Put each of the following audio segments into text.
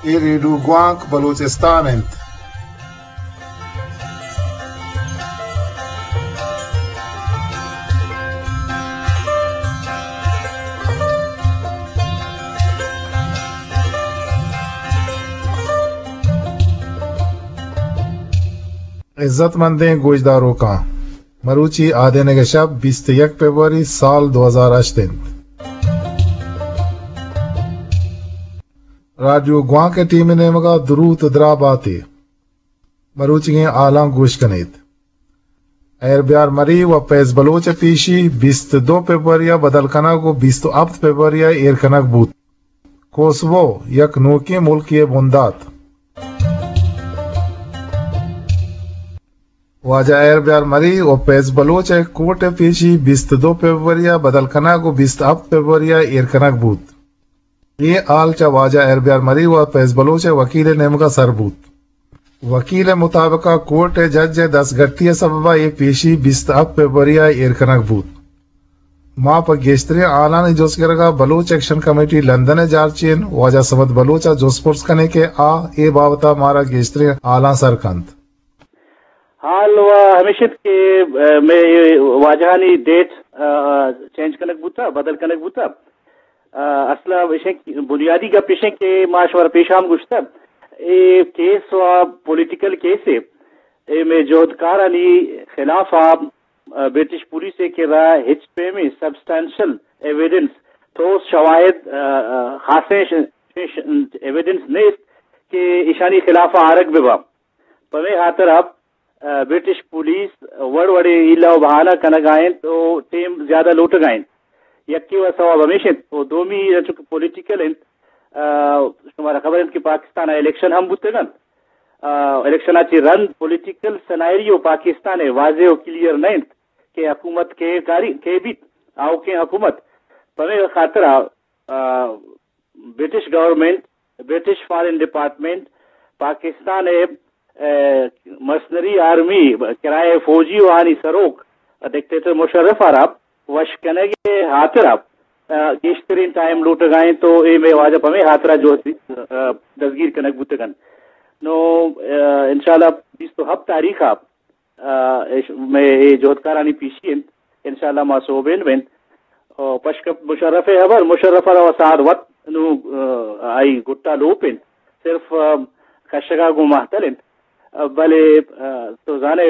اے ریڈیو گوانک بلوچستان انت۔ عزت مندیں گوشداروکاں، مروچی آدینگ ءِ شپ بیست ءُ یک فبروری سال دو ہزار ہشت انت۔ رادیو گوانک ءِ ٹیم ءِ نیمگ ءَ دروت ءُ دراہ بات ئے۔ مروچیگیں حالاں گوش کن ات۔ ایر بیار مری و فیض بلوچ ءِ پیشی بیست ءُ دو فبروری ءَ بدل کنگ و بیست ءُ ہپت فبروری ءَ ایر کنگ بوت۔ کوسوو یک نوکیں ملکے ءِ بندات۔ واجہ ایر بیار مری و فیض بلوچ ءِ کورٹ ءِ پیشی بیست ءُ دو فبروری ءَ بدل کنگ و بیست ءُ ہپت فبروری ءَ ایر کنگ بوت۔ اے حال چہ واجہ ایر بیار مری و فیض بلوچ ءِ وکیل ءِ نیمگ ءَ سر بوت۔ وکیل ءِ مطابق ءَ کورٹ ءِ جج ءِ دستگٹی ءِ سبب ءَ اے پیشی بیست ءُ ہپت فبروری ءَ ایر کنگ بوت۔ ما پہ گیشتریں حالانی جست گرگ ءَ بلوچ ایکشن کمیٹی لندن ءِ جارچین واجہ صمد بلوچ ءَ جست پرس کنیں کہ آ اے بابت ءَ مارا گیشتریں حالاں سر کنت۔ حال و ہمیش انت کہ، آ، مئے واجہانی ڈیٹ، آ، چینج کنگ بوتا، بدل کنگ بوتا۔ آ، اصل ءَ ایش انت کہ بنیادی گپ ایش انت کہ ما شمارا پیش ہم گوشتا، اے کیس و پولیٹیکل کیس اے، اے مئے جہدکارانی خلاف ءَ، آ، برٹش پولیس ءِ کرا ہچ پیمیں سبسٹینشل ایویڈنس، ٹھوس شواہد، آ، آ، خاصیں ش-، ش-، ایویڈنس نیست کہ ایشانی خلاف ءَ آرگ بہ باں۔ پمے ہاترا، آ، برٹش پولیس وڑ وڑیں ہیلہ و بہانہ کنگا انت و ٹیم زیادہ لوٹگا انت۔ یکے و سوب ہمیش انت و دومی چونکہ پولیٹیکل انت، آ، شمارا خبر انت کہ پاکستان ءَ الیکشن ہم بوتگ انت۔ آ، الیکشن ءَ چہ رند پولیٹیکل سنائریو پاکستان ءِ واضح و کلیئر نہ انت کہ حکومت کے کاری، کے بیت، آؤکیں حکومت۔ پمے خاطرا، آ، برٹش گورنمنٹ، برٹش فارن ڈپارٹمنٹ، پاکستان ءِ، اے، مرسنری آرمی، کرایہ فوجی و آنی سروک ڈکٹیٹر مشرف ءَ را وش کنگ ءِ ہاترا، آ، گیشتریں ٹائم لوٹگا انت تو اے مئے واجہ پمے ہاترا جو، آ، دزگیر کنگ بوتگ انت۔ نو، آ، انشاءاللہ بیست و ہپت تاریخ ءَ آ، اش-، مئے اے جہدکارانی پیشی انت، انشاءاللہ ما سوبین بنت۔ او پشک مشرف ءِ ہبر، مشرف ءَ را ساعت وت نو، آ، آئی گٹا لوپ انت، صرف، آ، کشگا گوں مہتل انت۔ آ، بلے، آ، تو زانے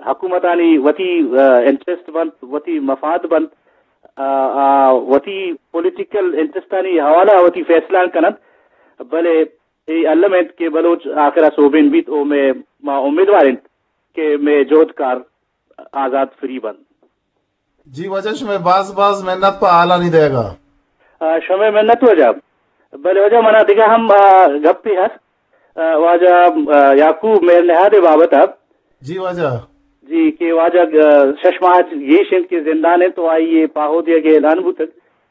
حکومتانی وتی، آ، انٹرسٹ بنت، وتی مفاد بنت، آ، آ، وتی پولیٹیکل انٹرسٹانی حوالہ وتی فیصلہ کننت، بلے اے الم انت کہ بلوچ آخرا سوبین بیت او مئے، ما امیدوار انت کہ مئے جہدکار آزات فری بنت۔ جی واجہ، شمئے باز باز منت پہ حالانی دئیگا۔ آ، شمئے منت واجہ۔ بلے واجہ، منا دگہ ہم، آ، گپے ہست، آ، واجہ، آ، یعقوب مہر نہاد ءِ بابت ءَ۔ جی واجہ۔ جی، کہ واجہ، آ، شش ماہ گیش انت کہ زندان انت تو آئی ءِ پاہو دیگ ءِ اعلان بوتگ۔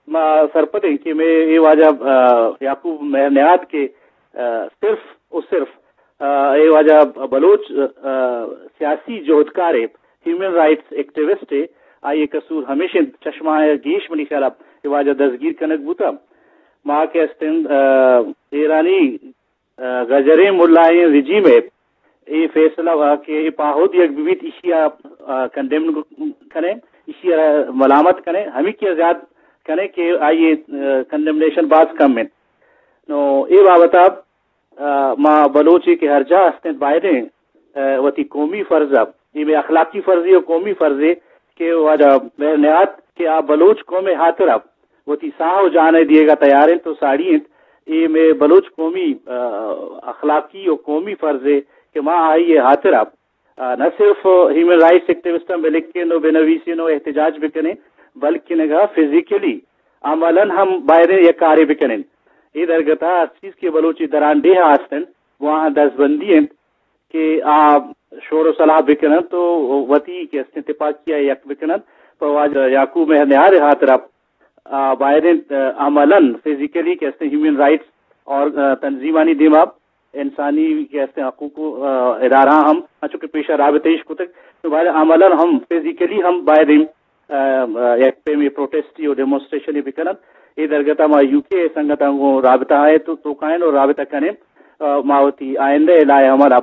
ما سرپد ایں کہ مئے اے واجہ، آ، یعقوب مہر نہاد کہ، آ، صرف و صرف، آ، اے واجہ بلوچ، آ، سیاسی جہدکارے، ہیومن رائٹس ایکٹیوسٹے، آئی ءِ قصور ہمیش انت، شش ماہ ءَ گیش منی خیال ءَ اے واجہ دزگیر کنگ بوتا۔ ما کہ استیں، آ، ایرانی، آ، گجریں ملائیں رجیم ءِ اے فیصلہ وا کہ اے پاہو دیگ بہ بیت، ایشی ءَ، آ، کنڈیم کنیں، ایشی ءَ ملامت کنیں، ہمیکی ءَ زیات کنیں کہ آئی ءِ، آ، کنڈیمنیشن باز کم انت۔ نو اے بابت ءَ، آ، ما بلوچے کہ ہر جاہ ہستیں بایدیں، آ، وتی قومی فرض ءَ، اے مئے اخلاقی فرضے و قومی فرضے کہ واجہ مہر نہاد کہ آ بلوچ قوم ءِ ہاترا وتی ساہ و جان ءَ دیگ ءَ تیار انت و ساڑی انت۔ اے مئے بلوچ قومی، آ، اخلاقی و قومی فرضے کہ ما آئی ءِ ہاترا، آ، نہ صرف ہیومن رائٹس ایکٹیوسٹاں بہ لکھیں و بہ نویسیں و احتجاج بکنیں، بلکن اگاں فزیکلی، عملاً ہم بایدیں یک کارے بکنیں۔ اے درگت ءَ ہر چیز کہ بلوچی درانڈیہ ءَ ہست انت، گواہاں دزبندی انت کہ آ شور و صلاح بکننت و وتی کہ استیں تپاکی ءَ یک بکننت، پہ واجہ یعقوب مہر نہاد ءِ ہاترا آ، باید انت، آ، عملاً، فزیکلی کہ استیں ہیومن رائٹس اور، آ، تنظیمانی دیما، انسانی کہ استیں حقوق، آ، ادارہ ہم، انچو کہ پیشا رابطہ ایش کتگ، تو باید عملاً ہم، فزیکلی ہم باید انت، آ، آ، یک پیمیں پروٹیسٹی و ڈیمونسٹریشنی بکننت۔ اے درگتا ما یو کے سنگتاں گوں رابطہ آئے تو، تو کائن و رابطہ کنیں۔ ما وتی آئندہ ءِ لائحہ عمل ءَ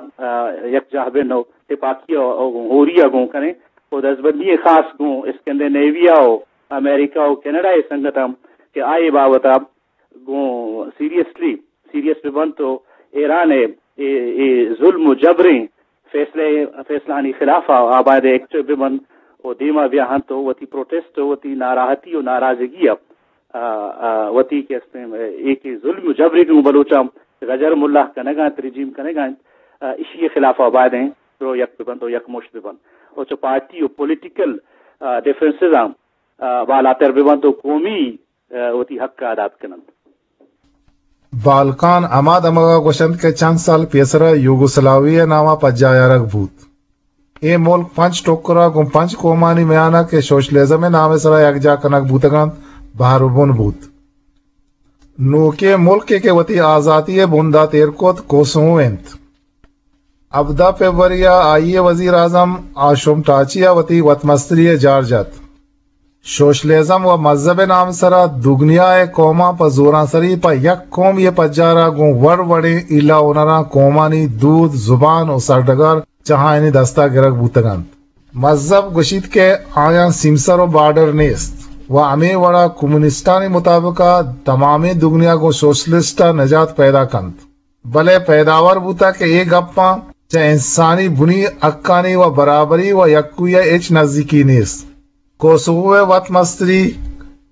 یکجاہ بن و تپاکی ءَ و ہوری ءَ گوں کنیں و دزبندی خاص گوں اسکینڈینیویا و امریکہ و کینیڈا ءِ سنگتاں کہ آئی بابت ءَ گوں سیریسلی سیریس بہ بنت و ایران ءِ اے، اے ظلم و جبریں فیصلہ، فیصلہانی خلاف ءَ آ باید ایکٹیو بہ بنت و دیما بیا انت و وتی پروٹیسٹ و وتی ناراحتی و ناراضگی ءَ، آ، آ، وتی کہ استیں، اے کہ ظلم و جبرے کہ گوں بلوچاں غجر ملا کنگا انت، رجیم کنگا انت، آ، اشی خلاف ءَ باید انت رو یک بہ بنت و یک مشت بہ بنت و چہ پارٹی و پولیٹیکل، آ، ڈفرنسز آں، آ، بالاتر بہ بنت و قومی، آ، وتی حق ءَ ادا بکننت۔ بالکان ہما دمگ ءَ گوشنت کہ چند سال پیسر ءَ یوگوسلاوی ءِ نام ءَ پجاہ آرگ بوت۔ اے ملک پنچ ٹکر ءَ گوں پنچ قومانی میان ءَ کہ سوشلزم ءِ نام ءِ سرا یکجاہ کنگ بوتگ انت، بہر بن بوت۔ نوکیں ملکے کہ وتی آزاتی ءِ بندات ایر کت، کوسوو انت۔ ہبدہ فبروری ءَ آئی ءِ وزیر اعظم آشم ٹاچی ءَ وتی وتمستری ءِ جار جت۔ سوشلزم و مذہب ءِ نام ءِ سرا دگنیا ءِ قوماں پہ زورانسری پہ یک قومے ءِ پجار ءَ گوں وڑ وڑیں ہیلہ ہنراں قومانی دود، زبان و سرڈگار چہ آیانی دست ءَ گرگ بوتگ انت۔ مذہب گوشیت کہ آیاں سیمسر و بارڈر نیست و ہمے وڑا کمیونسٹانی مطابق ءَ تمامیں دگنیا گوں سوشلسٹ ءَ نجات پیدا کنت۔ بلے پیداور بوتگ کہ اے گپاں چہ انسانی بنی حقانی و برابری و یکوئی ءَ ہچ نزیکی نیست۔ کوسوو ءِ وت مستری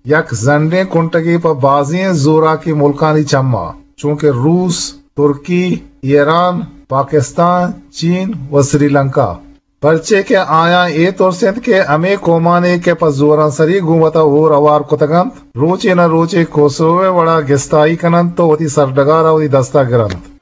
یک زنڈیں کنٹگے پہ بازیں زوراکیں ملکانی چماں، چونکہ روس، ترکی، ایران، پاکستان، چین و سری لنکا۔ پرچے کہ آیاں اے ترس انت کہ ہمے قومانے کہ پہ زورانسری گوں وتا ہور ہوار کتگ انت، روچے نہ روچے کوسوو ءِ وڑا گستائی کن انت و وتی سرڈگار ءَ وتی دست ءَ گر انت۔